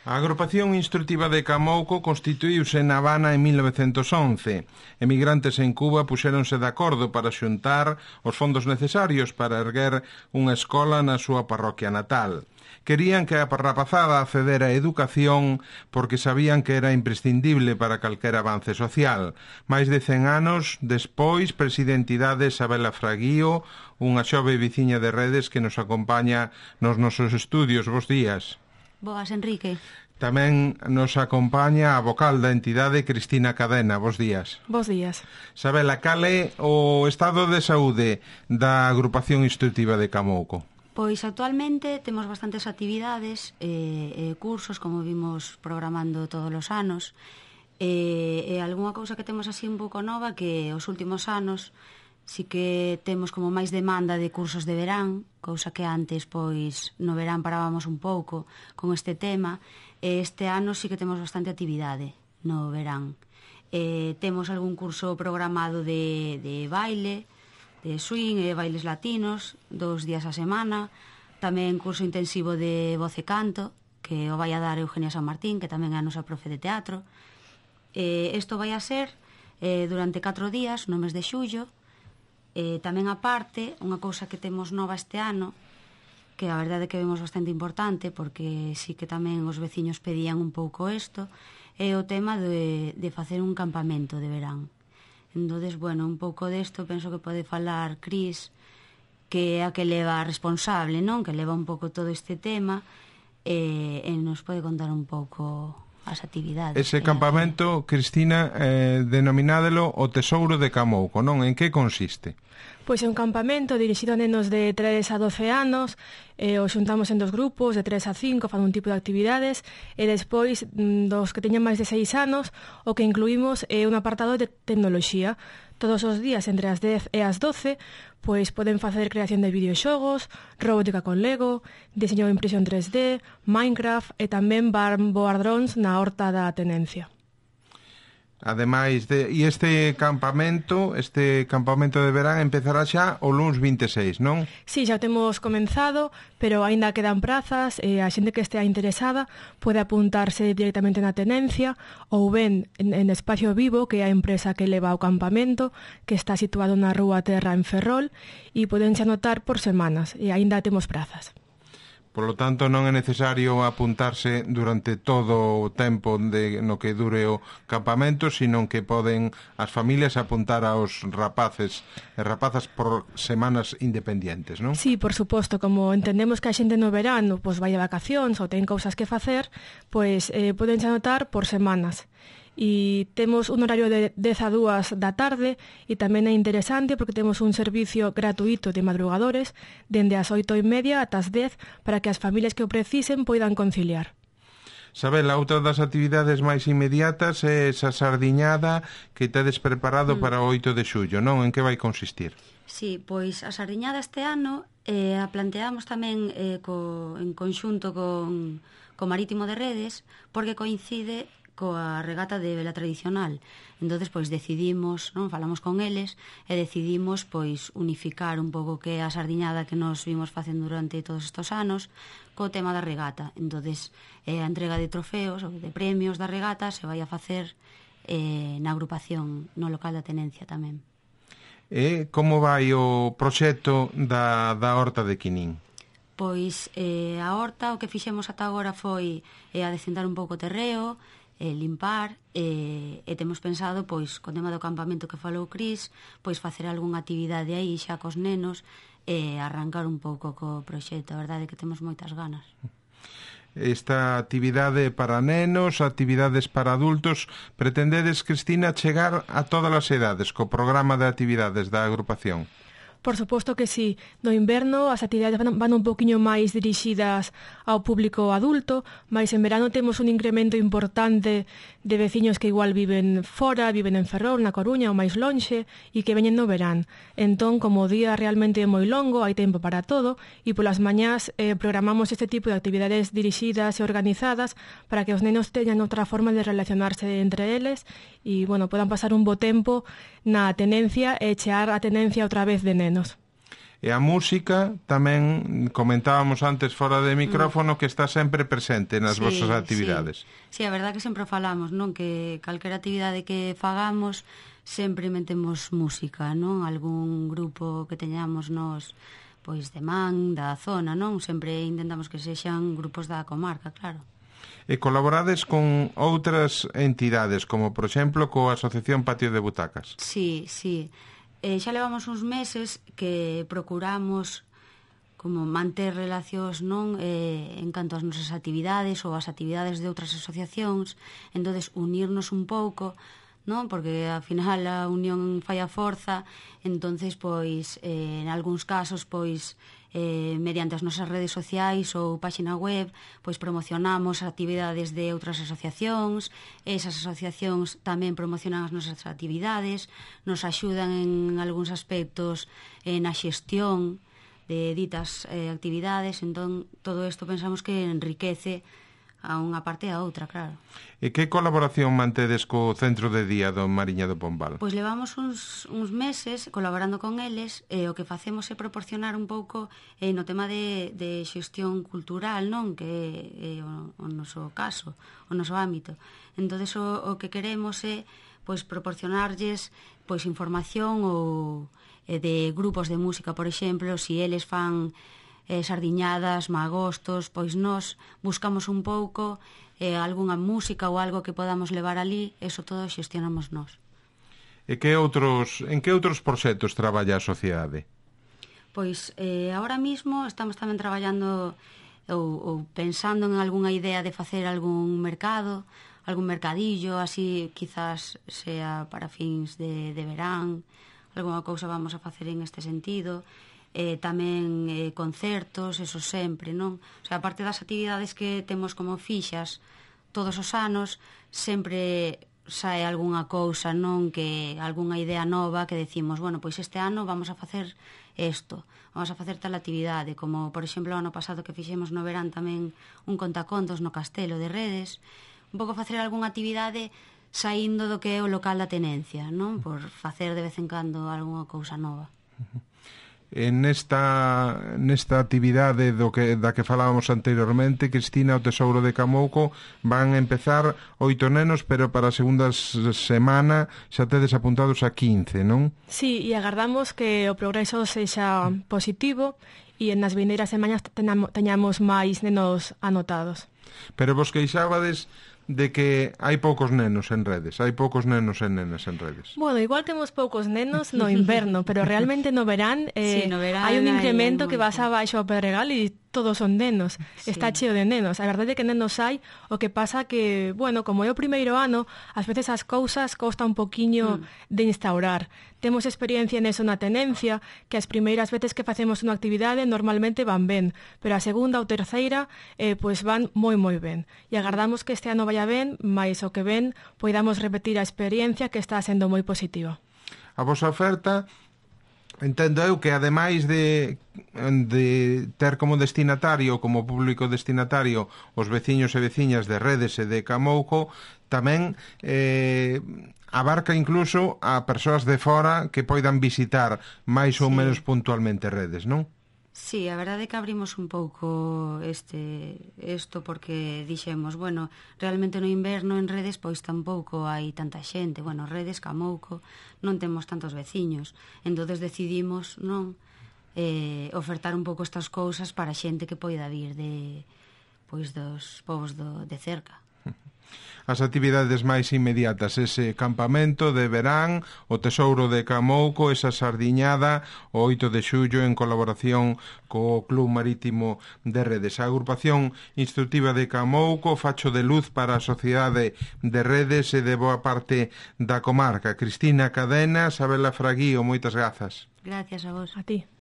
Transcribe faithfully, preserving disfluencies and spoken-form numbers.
A Agrupación Instrutiva de Camouco constituíuse na Habana en mil novecentos once. Emigrantes en Cuba puxéronse de acordo para xuntar os fondos necesarios para erguer unha escola na súa parroquia natal. Querían que a rapazada accedera a educación porque sabían que era imprescindible para calquer avance social. Mais de cen anos despois, presidentidade Isabela Fraguío, unha xove veciña de Redes que nos acompaña nos nosos estudios. Bos días. Boas, Enrique. Tamén nos acompaña a vocal da entidade Cristina Cadena. Bos días. Bos días. Isabela, cal é o estado de saúde da Agrupación Instrutiva de Camouco? Pois actualmente temos bastantes actividades e eh, eh, cursos, como vimos programando todos os anos, e eh, eh, algunha cousa que temos así un pouco nova que os últimos anos si que temos como máis demanda de cursos de verán, cousa que antes, pois, no verán parábamos un pouco con este tema, e este ano sí que temos bastante actividade no verán. Eh, temos algún curso programado de, de baile, de swing e bailes latinos, dous días a semana, tamén curso intensivo de voz e canto, que o vai a dar Eugenia San Martín, que tamén é a nosa profe de teatro. Eh, isto vai a ser eh, durante catro días, no mes de xullo. Eh, tamén aparte, unha cousa que temos nova este ano, que a verdade que vemos bastante importante, porque sí que tamén os veciños pedían un pouco isto, é o tema de, de facer un campamento de verán. Entonces, bueno, un pouco desto penso que pode falar Cris, que é a que leva responsable, non? Que leva un pouco todo este tema, e, e nos pode contar un pouco as actividades. Ese campamento, Cristina, eh, denominándolo o Tesouro de Camouco, non? En que consiste? Pois é un campamento dirixido a nenos de tres a doce anos, eh, os xuntamos en dos grupos, de tres a cinco, fan un tipo de actividades, e despois dos que teñen máis de seis anos, o que incluímos é un apartado de tecnoloxía. Todos os días, entre as dez e as doce, pois poden facer creación de videoxogos, robótica con Lego, diseño de impresión tres D, Minecraft e tamén van voar drones na horta da tenencia. Ademais de, e este campamento, este campamento de verán empezará xa o luns vinte e seis, non? Sí, xa temos comenzado, pero aínda quedan prazas e a xente que estea interesada pode apuntarse directamente na tenencia ou ben en, en Espacio Vivo, que é a empresa que leva o campamento, que está situado na Rúa Terra en Ferrol, e podense anotar por semanas, e aínda temos prazas. Por lo tanto, non é necesario apuntarse durante todo o tempo de, no que dure o campamento, sino que poden as familias apuntar aos rapaces e rapazas por semanas independientes, non? Sí, por suposto, como entendemos que a xente no verano pois vai de vacacións ou ten cousas que facer, pois eh, poden anotar por semanas. E temos un horario de dez a dúas da tarde e tamén é interesante porque temos un servicio gratuito de madrugadores dende as oito e media ata as dez para que as familias que o precisen poidan conciliar. Sabela, outra das actividades máis inmediatas é esa sardiñada que tedes preparado mm. para o oito de xullo, non? En que vai consistir? Sí, pois a sardiñada este ano eh, a planteamos tamén eh, co, en conxunto con, co Marítimo de Redes porque coincide coa regata de vela tradicional. Entonces, pois, decidimos, non, falamos con eles e decidimos, pois, unificar un pouco que a sardiñada que nos vimos facendo durante todos estos anos co tema da regata. Entonces, eh, a entrega de trofeos ou de premios da regata se vai a facer eh, na agrupación, no local da tenencia tamén. E como vai o proxecto da, da horta de Quinín? Pois, eh, a horta, o que fixemos ata agora foi eh, adecentar un pouco o terreo, e limpar, e, e temos pensado, pois, con tema do campamento que falou Cris, pois facer algunha actividade aí xa cos nenos e arrancar un pouco co proxecto. A verdade é que temos moitas ganas. Esta actividade para nenos, actividades para adultos, pretendedes, Cristina, chegar a todas as edades co programa de actividades da agrupación? Por suposto que sí. No inverno as actividades van, van un poquinho máis dirixidas ao público adulto, mas en verano temos un incremento importante de veciños que igual viven fora, viven en Ferrol, na Coruña ou máis lonxe, e que veñen no verán. Entón, como o día realmente é moi longo, hai tempo para todo, e polas mañás eh, programamos este tipo de actividades dirixidas e organizadas para que os nenos teñan outra forma de relacionarse entre eles e, bueno, podan pasar un bo tempo na tenencia e chear a tenencia outra vez de nenos. E a música tamén comentábamos antes fora de micrófono que está sempre presente nas sí, vosas actividades. Sí. sí, a verdad que sempre falamos, non? Que calquera actividade que fagamos sempre metemos música, non? Algún grupo que teñamos nos pois de man, da zona, non? Sempre intentamos que sexan grupos da comarca, claro. E colaborades con outras entidades, como, por exemplo, coa Asociación Patio de Butacas. Sí, sí. Eh, xa levamos uns meses que procuramos como manter relacións non eh, en canto ás nosas actividades ou as actividades de outras asociacións, entonces unirnos un pouco, non? Porque ao final a unión fai a forza, entonces pois eh, en algúns casos pois eh, mediante as nosas redes sociais ou páxina web pois promocionamos actividades de outras asociacións, esas asociacións tamén promocionan as nosas actividades, nos axudan en algúns aspectos eh, na xestión de ditas eh, actividades, entón todo isto pensamos que enriquece a unha parte e a outra, claro. E que colaboración mantedes co Centro de Día do Mariña do Pombal? Pois levamos uns, uns meses colaborando con eles e o que facemos é proporcionar un pouco eh, no tema de, de xestión cultural, non? Que é eh, o, o noso caso, o noso ámbito. Entón, o, o que queremos é pois proporcionarlles pois información ou eh, de grupos de música, por exemplo, si eles fan eh, sardiñadas, magostos, pois nós buscamos un pouco eh, algunha música ou algo que podamos levar ali, eso todo xestionamos nós. E que outros, en que outros proxectos traballa a sociedade? Pois eh, ahora mismo estamos tamén traballando ou, ou pensando en algunha idea de facer algún mercado, algún mercadillo, así quizás sea para fins de, de verán, algunha cousa vamos a facer en este sentido. Eh, tamén eh, concertos, eso sempre, non? O sea, aparte das actividades que temos como fixas todos os anos, sempre sae algunha cousa, non? Que algunha idea nova que decimos, bueno, pois este ano vamos a facer isto, vamos a facer tal actividade, como, por exemplo, o ano pasado que fixemos no verán tamén un contacontos no Castelo de Redes, un pouco facer algunha actividade saindo do que é o local da tenencia, non? Por facer de vez en cando algunha cousa nova. En nesta, nesta actividade do que, da que falábamos anteriormente, Cristina, o Tesouro de Camouco, van a empezar oito nenos, pero para a segunda semana xa tedes apuntados a quince, non? Sí, e agardamos que o progreso sexa positivo e nas vindeiras semanas teñamos máis nenos anotados. Pero vos queixábades de que hai poucos nenos en redes, hai poucos nenos e nenas en redes. Bueno, igual temos poucos nenos no inverno, pero realmente no verán, eh, sí, no verán hai un incremento hai que vas abaixo ao Pedregal e todos son nenos, sí. Está cheo de nenos. A verdade é que nenos hai, o que pasa que, bueno, como é o primeiro ano, ás veces as cousas costa un poquiño mm. de instaurar. Temos experiencia neso na tenencia, que as primeiras veces que facemos unha actividade normalmente van ben, pero a segunda ou terceira eh, pois van moi moi ben. E agardamos que este ano vaya ben, mais o que ven poidamos repetir a experiencia que está sendo moi positiva. A vosa oferta, entendo eu que ademais de, de ter como destinatario, como público destinatario, os veciños e veciñas de Redes e de Camouco, tamén eh, abarca incluso a persoas de fora que poidan visitar máis ou sí. menos puntualmente Redes, non? Sí, a verdade é que abrimos un pouco este isto porque dixemos, bueno, realmente no inverno en Redes pois tampouco hai tanta xente, bueno, Redes, Camouco, non temos tantos veciños, entonces decidimos, non, eh, ofertar un pouco estas cousas para xente que poida vir de pois dos povos do, de cerca. As actividades máis inmediatas, ese campamento de verán, o Tesouro de Camouco, esa sardiñada, o oito de xullo en colaboración co Club Marítimo de Redes. A agrupación instructiva de Camouco, facho de luz para a sociedade de Redes e de boa parte da comarca. Cristina Cadena, Sabela Fraguío, moitas grazas. Gracias a vos. A ti.